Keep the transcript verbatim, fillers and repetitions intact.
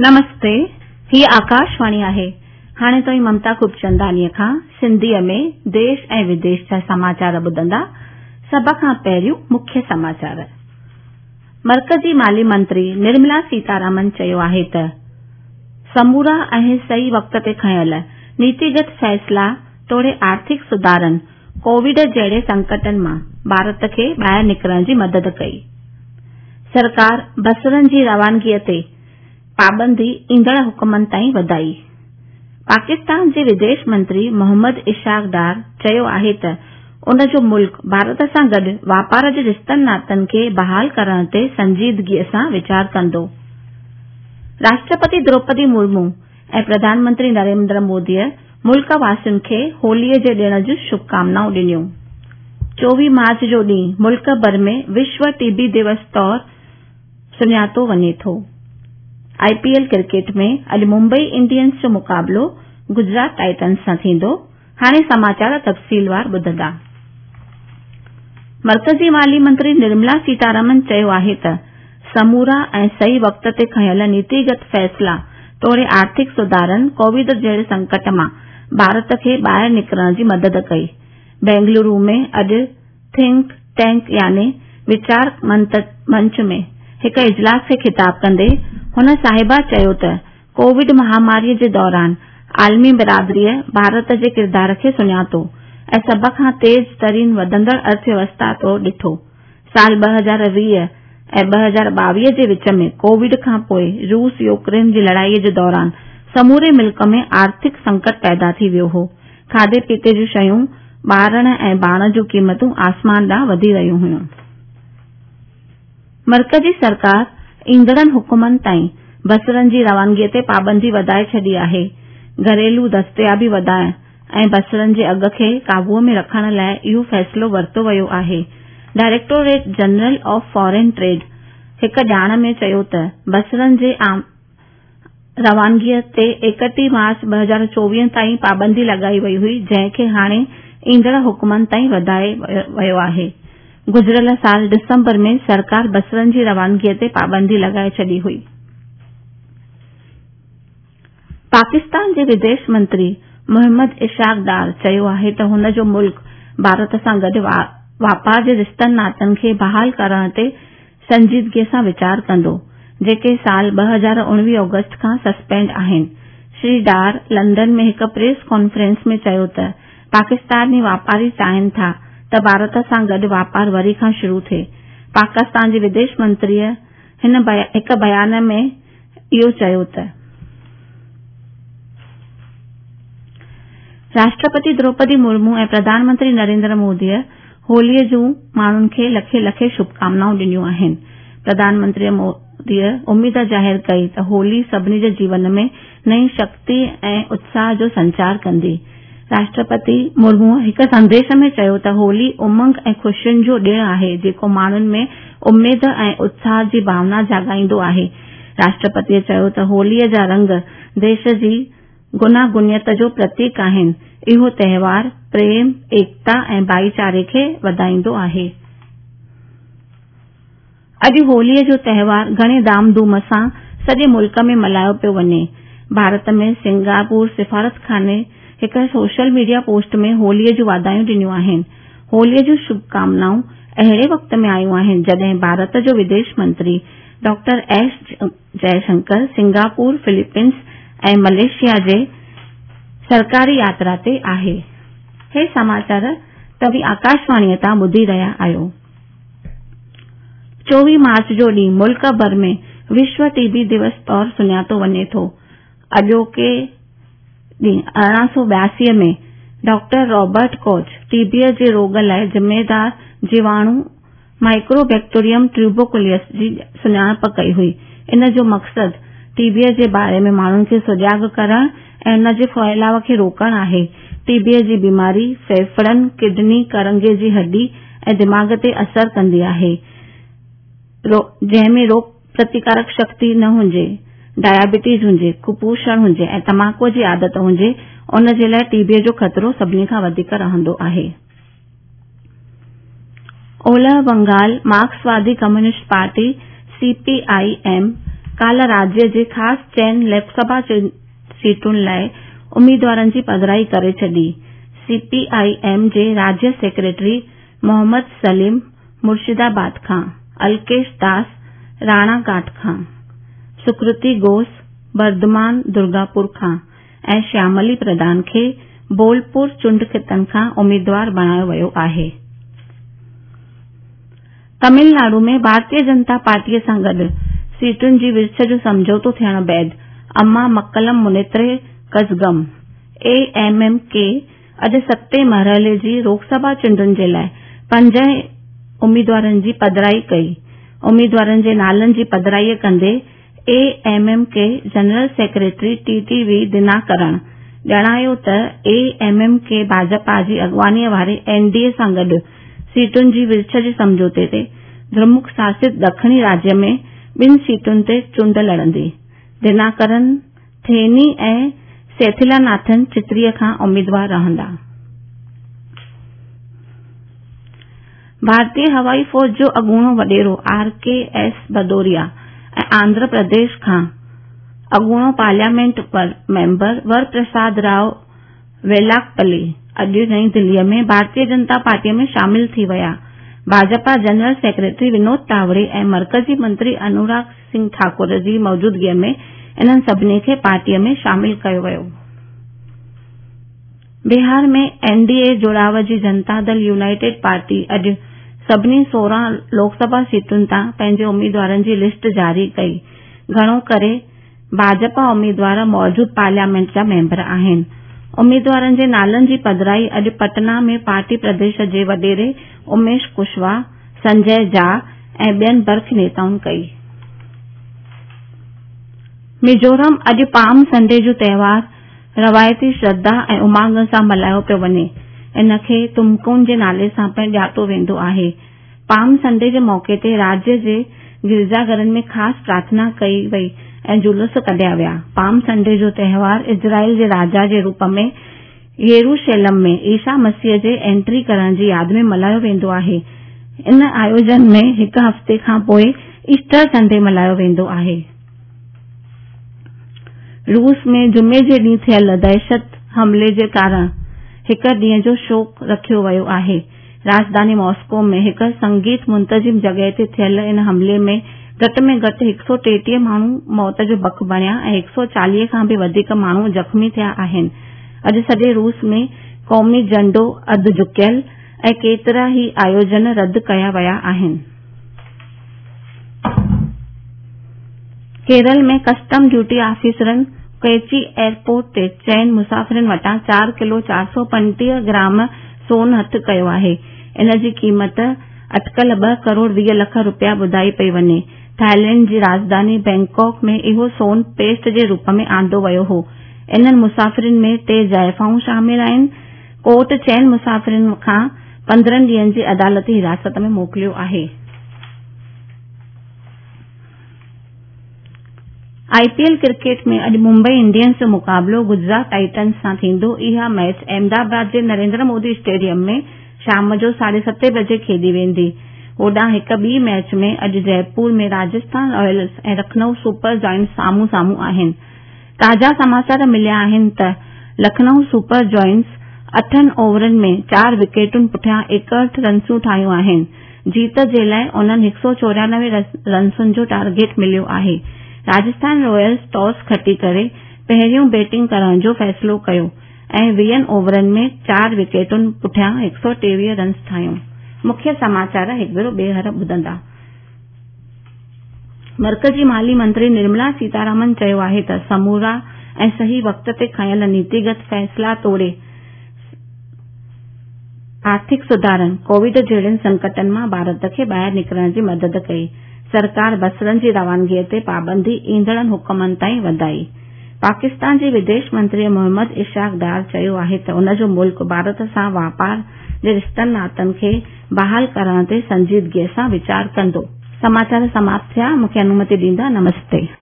نمستي، هيء آڪاشواڻي آهي. هاڻي توهين ممتا خوبچنداڻيء کان سنڌيء ۾ ديش ۽ وديش جا سماچار ٻڌندا. سڀ کان پهريون مکيه سماچار. مرڪزي مالي منتري نرملا سيتارامن چيو آهي ته سمورا ۽ صحيح وقت تي کنيل نيتيگت فيصلا توڙي آرٿڪ سڌارن ڪووڊ جهڙي سنڪٽن مان ڀارت کي ٻاهر نڪرڻ جي مدد ڪئي. سرڪار بصرن جي روانگيء تي پابندي ايندڙ حڪمن تائين وڌائي. پاڪستان جي وديش منتري محمد اسحاق ڊار چيو آهي ته ان جو ملڪ ڀارت سان گڏ واپار جي رشتن ناتن کي بحال ڪرڻ تي سنجيدگيء سان ويچار ڪندو. راشٽرپتي دروپدي مرمو ۽ پرڌان منتري نريندر موديء ملڪ واسين کي هوليء جي ڏڻ جون شڀڪامنائون ڏنيون. چوويهه مارچ جو ڏينهن ملڪ ڀر ۾ وشو ٽي بي دوس طور سڃاتو وڃي ٿو. آء پي ايل ڪرڪيٽ ۾ اڄ ممبئي انڊينز جو مقابلو گجرات ٽائٽنز سان ٿيندو. هاڻي سماچار تفصيلوار ٻڌندا. مرڪزي مالي منتري نرملا سيتارامن چيو آهي ته سمورا ۽ صحيح وقت تي کنيل نيتيگت فيصلا توڙي آرٿڪ سڌارن ڪووڊ جهڙي سنڪٽ مان ڀارت کي ٻاهر نڪرڻ جي مدد ڪئي. بينگلورو ۾ اڄ ٿنڪ ٽينڪ يعني ويچار منچ ۾ هڪ اجلاس کي خطاب ڪندي هن صاحبه چيو ته ڪووڊ مهاماريء جي دوران عالمي برادريء ڀارت جي ڪردار کي سڃاتو ۽ سڀ کان تيز ترين وڌندڙ ارٿويوسٿا طور ڏٺو. سال ٻه هزار ويهه ۽ ٻه هزار ٻاويهه جي وچ ۾ ڪووڊ کان پوءِ روس يوڪرين جي لڙائيء جي دوران سموري ملڪ ۾ آرٿڪ سنڪٽ پيدا ٿي ويو هو. کاڌي پيتي جون شيون، ٻارڻ ۽ ڀاڻ جون قيمتون آسمان ڏانهن وڌي رهيون هيون. مرڪزي سرڪار ايندڙن حڪمن تائين بصرن جي روانگيء تي پابندي وڌائي ڇڏي آهي. گهريلو دستيابي وڌائڻ ۽ بصرن جي اگهه کي قابوء ۾ رکڻ لاءِ اهو فيصلو ورتو ويو آهي. Directorate general of foreign trade هڪ ڄاڻ ۾ چيو ته بصرن جي روانگيء تي ايڪٽيهه مارچ ٻه هزار چوويهه تائين پابندي لڳائي وئي هئي، جنهن کي هاڻي ايندڙ حڪمن تائين وڌايو ويو آهي. گذريل سال ڊسمبر ۾ سرڪار بصرن جي روانگيء تي پابندي لڳائي ڇڏي هئي. پاڪستان جي وديش منتري محمد اسحاق ڊار چيو آهي ته هن جو ملڪ ڀارت سان گڏ واپار جي رشتن ناتن کي بحال ڪرڻ تي سنجيدگيء سان ويچار ڪندو، جيڪي سال ٻه هزار اڻويهه آگسٽ کان سسپينڊ آهن. شري ڊار لنڊن ۾ هڪ پريس ڪانفرنس ۾ چيو ته پاڪستاني واپاري چاهين ٿا ته ڀارت سان گڏ واپار وري کان شروع ٿئي. پاڪستان جي وديش منتريء هڪ بيان ۾ اهو چيو ته راشٽرپتي دروپدي مرمو ۽ پرڌان منتري نريندر موديء هوليء جون ماڻهن کي لکين لکين شڀڪامنائون ڏنيون آهن. پرڌان منتري موديء اميد ظاهر ڪئي ته هولي سڀني جي جيون ۾ نئين شڪتي ۽ اتساهه جو سنچار ڪندي. راشٽرپتي مرموء هڪ سنديش ۾ چيو ته هولي امنگ ۽ خوشين جو ڏڻ آهي، جيڪو ماڻهن ۾ اميد ۽ اتساهه جي ڀاونا جاڳائيندو آهي. راشٽرپتيء چيو ته هوليء جا رنگ ديش جي گوناگونيت جو پرتيڪ آهن. اهو تهوار پريم، ايڪتا ۽ ڀائيچاري کي وڌائيندو آهي. اڄ هوليء جو تهوار گهڻي ڌام ڌوم سان سڄي ملڪ ۾ ملهايو پيو وڃي. ڀارت ۾ سنگاپور سفارتخاني هڪ سوشل ميڊيا پوسٽ ۾ هوليء جون واڌايون ڏنيون آهن. هوليء جون شڀڪامنائون اهڙي وقت ۾ آيون آهن، جڏهن ڀارت جو وديش منتري doctor S Jaishankar Singapore, Philippines ۽ Malaysia جي سرڪاري ياترا تي آهي. هي سماچار توهين آڪاشواڻيء تان ٻڌي رهيا آهيو. چوويهه مارچ جو ڏينهن ملڪ ڀر ۾ وشو ٽي بي دوس طور سڃاتو وڃي ٿو. اڄوڪي ڏينهن ارڙهن سؤ ٻياسي ۾ ڊاڪٽر رابرٽ ڪوچ ٽي بيء جي روڳ لاءِ ذميدار جيواڻو مائيڪوبيڪٽيريم ٽيوبرڪلوسس جي سڃاڻپ ڪئي هئي. ان جو مقصد ٽي بيء جي باري ۾ ماڻهن کي سجاڳ ڪرڻ ۽ ان جي ڦهلاءُ کي روڪڻ آهي. ٽي بيء جي بيماري ڦيڦڙن، ڪڊني، ڪرنگهي جي هڏي ۽ دماغ تي اثر ڪندي آهي، جنهن ۾ روڳ پرتيڪارڪ شڪتي نه هجي، ڊائبٽيز هجي، ڪپوشڻ هجي ۽ تماڪوءَ جي عادت هجي، ان جي لاءِ ٽي بيء جو خطرو سڀني کان وڌيڪ رهندو آهي. اولهه Bengal مارڪسوادي communist party C P I M ڪالهه راجيه جي خاص چئن لوڪ سڀا سيٽن لاءِ اميدوارن جي پڌرائي ڪري ڇڏي. سي پي I M جي راجيه سيڪريٽري محمد سليم مرشدآباد کان، الڪيش داس راڻاگهاٽ کان، سڪرتي گهوش بردمان درگاپور کان ۽ شياملي پرڌان کي بولپور چونڊ خطن کان اميدوار بڻايو ويو آهي. تامل ناڊو ۾ ڀارتيه جنتا پارٽيءَ سان گڏ سيٽن جي ورڇ جو سمجهوتو ٿيڻ بعد اما مڪلم منيتر ڪزگم اي ايم ايم ڪي اڄ ستين مرحلي جي لوڪ سڀا چونڊن جي لاءِ پنج اميدوارن جي پڌرائي ڪئي. اميدوارن جي نالن جي پڌرائي ڪندي A M M K general secretary T T V Dhinakaran ڄاڻايو ته اي ايم ايم ڪي ڀاجپا جي اڳواڻيءَ واري اين ڊي اي سان گڏ سيٽن جي ورڇ جي سمجهوتي تي درمڪ شاست ڏکڻي راجيه ۾ ٻن سيٽن تي چونڊ لڙندي. دناڪرن ٿيني ۽ سيٿلاناٿن چتريءَ کان اميدوار رهندا. ڀارتيه هوائي فوج جو اڳوڻو وڏيرو R K S Bhadauria ۽ Andhra Pradesh کان اڳوڻو پارليامينٽ ميمبر ورپرساد رائو ويلاپلي اڄ نئين دليءَ ۾ ڀارتيه جنتا پارٽيءَ ۾ شامل ٿي ويا. ڀاجپا جنرل سيڪريٽري ونود تاوڙي ۽ مرڪزي منتري انوراگ سنگهه ٺاڪر جي موجودگيءَ ۾ انهن سڀني کي پارٽيءَ ۾ شامل ڪيو ويو. بهار ۾ اين ڊي اي جوڙاءُ جي جنتا دل يونائيٽيڊ پارٽي اڄ سڀني سورهن لوڪ سڀا سيٽن تان پنهنجي اميدوارن جي لسٽ جاري ڪئي. گهڻو ڪري ڀاجپا اميدوار موجود پارليامينٽ جا ميمبر آهن. اميدوارن جي نالن جي پڌرائي اڄ پٽنا ۾ پارٽي پرديش جي وڏيري اميش ڪشواها، سنجي جها ۽ ٻين برک نيتائن ڪئي. ميزورم اڄ پام سنڊي جو تهوار روايتي شرڌا ۽ امنگ سان ملهايو پيو وڃي. ان کي تمڪون جي نالي سان پڻ ڄاتو ويندو آهي. پام سنڊي جي موقعي تي راجيه جي گرجا گهرن ۾ خاص پرارٿنا ڪئي وئي ۽ جلوس ڪڍيا ويا. پام سنڊي جو تهوار اسرائيل جي راجا جي روپ ۾ يروشلم ۾ عيسيٰ مسيح جي انٽري ڪرڻ جي ياد ۾ ملهايو ويندو آهي. ان آيوجن ۾ هڪ هفتي کان پوءِ ايسٽر سنڊي ملهايو ويندو آهي. روس ۾ جمعي جي ڏينهن ٿيل دهشت حملي جي ڪارڻ هڪ ڏينهن جو شوڪ رکيو ويو آهي. راڄڌاني ماسڪو ۾ هڪ سنگيت منتظم جڳهه تي ٿيل ان حملي ۾ گهٽ ۾ گهٽ هڪ سؤ ٽيٽيهه ماڻهو موت جو بک بڻيا ۽ هڪ سؤ چاليهه کان به وڌيڪ ماڻهو زخمي ٿيا آهن. اڄ سڄي روس ۾ قومي جهنڊو اڌ جهڪيل ۽ ڪيترا ئي آيوجن رد ڪيا ويا آهن. ڪيرل ۾ ڪسٽم ڊيوٽي آفيسرن ڪوچي ايئرپورٽ تي چئن مسافرن وٽان چار ڪلو چار سؤ پنجٽيهه گرام سون هٿ ڪيو آهي. ان جي قيمت اٽڪل ٻه ڪروڙ ويهه لک رپيا ٻڌائي پئي وڃي. ٿائيلينڊ جي راڄڌاني بينڪاڪ ۾ اهو سون پيسٽ جي روپ ۾ آندو ويو هو. انهن مسافرن ۾ ٽي زائفائون شامل آهن. ڪورٽ چئن مسافرن کان پندرهن ڏينهن جي عدالتي حراست ۾ موڪليو آهي. I P L cricket ۾ اڄ ممبئي انڊينز جو مقابلو گجرات ٽائٽنز سان ٿيندو. اها ميچ احمدآباد جي نريندر مودي اسٽيڊيم ۾ شام جو ساڍي ستين بجي کيڏي ويندي. هوڏانهن هڪ ٻي ميچ ۾ اڄ Jaipur ۾ Rajasthan Ryles ۽ Lucknow super giants آمهون سامهون آهن. تازا سماچار مليا آهن ته لکنؤ سپر جائنٽس اٺن اوورن ۾ چار وڪيٽن پٺيان ايڪهٺ رنسون ٺاهيون آهن. جيت جي لاءِ انهن هڪ سؤ چورانوي رنسن جو ٽارگيٽ مليو آهي. راجسٿان رائلز ٽاس کٽي ڪري پهريون بيٽنگ ڪرڻ جو فيصلو ڪيو ۽ ويهن اوورن ۾ چار وڪيٽن پٺيان هڪ سؤ ٽيويهه رنس ٺاهيون. مکيه سماچار هڪ ڀيرو ٻيهر ٻڌندا. مرڪزي مالي منتري نرملا سيتارامن چيو آهي ته سمورا ۽ صحيح وقت تي کنيل نيتيگت فيصلا توڙي آرٿڪ سڌارن ڪووڊ جهڙن سنڪٽن مان ڀارت کي ٻاهر نڪرڻ جي مدد ڪئي. سرڪار بصرن جي روانگيءَ تي پابندي ايندڙ حڪمن تائين وڌائي. پاڪستان جي وديش منتري محمد اسحاق ڊار چيو آهي ته ان جو ملڪ ڀارت سان واپار جي رشتن ناتن کي بحال ڪرڻ تي سنجيدگيءَ سان ويچار ڪندو. سماچار سماپت ٿيا. مون کي انومتي ڏيندا. نمستي.